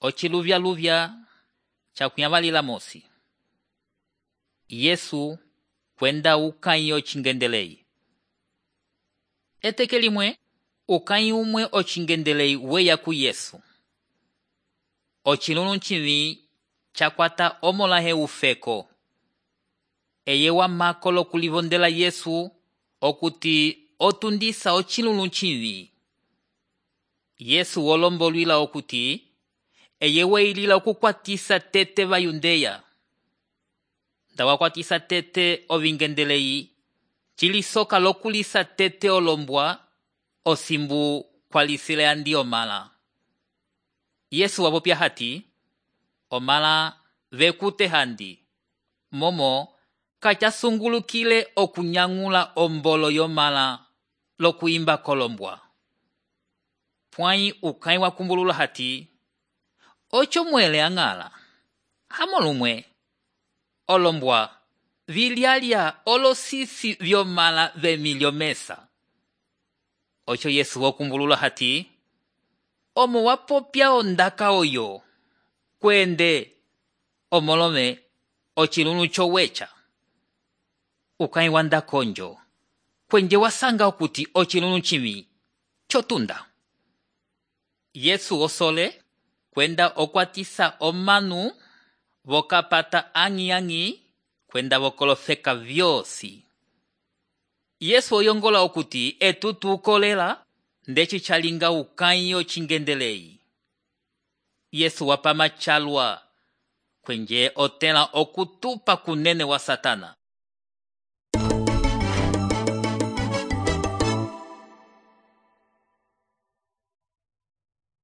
Ociluvya-luvya cakuyavalila mosi. Yesu kwenda ukãyi ocingendelei. Eteke limwe, ukãyi umwe ocingendelei weya ku Yesu. Ocilunu civi cakwata omolahe ufeko. Eye wamako lokulivondela Yesu okuti otundisa ocilunu civi. Yesu wolombolwila okuti eye weilila okukwatisa tete vayundeya. Nda wakwatisa tete ovingendelei, cilisoka lokulisa tete olombwa, osimbu kwalisile andi omala. Yesu wapopya hati, omala vekute handi, momo kacasungulukile okunyangula ombolo yomala lokuimba kolombwa. Pwãyi ukãyi wakumbulula hati, ocho mwele ang'ala, hamolumwe, olombwa, vilialya olosisi vyomala vemilyo mesa. Ocho Yesu wakumbulula hati, omo wapopya ondaka oyo, kwende, omolome, ocilunu chowecha. Ukãyi wanda konjo, kwenje wasanga okuti ocilunu civi, chotunda. Yesu osole, kwenda okwatisa omanu, vokapata ang'i kwenda vokolofeka vyosi. Yesu oyongola okuti etutu ukolela, ndeci calinga ukãyi ocingendelei. Yesu wapama calwa, kwenje otela okutupa kunene wa Satana.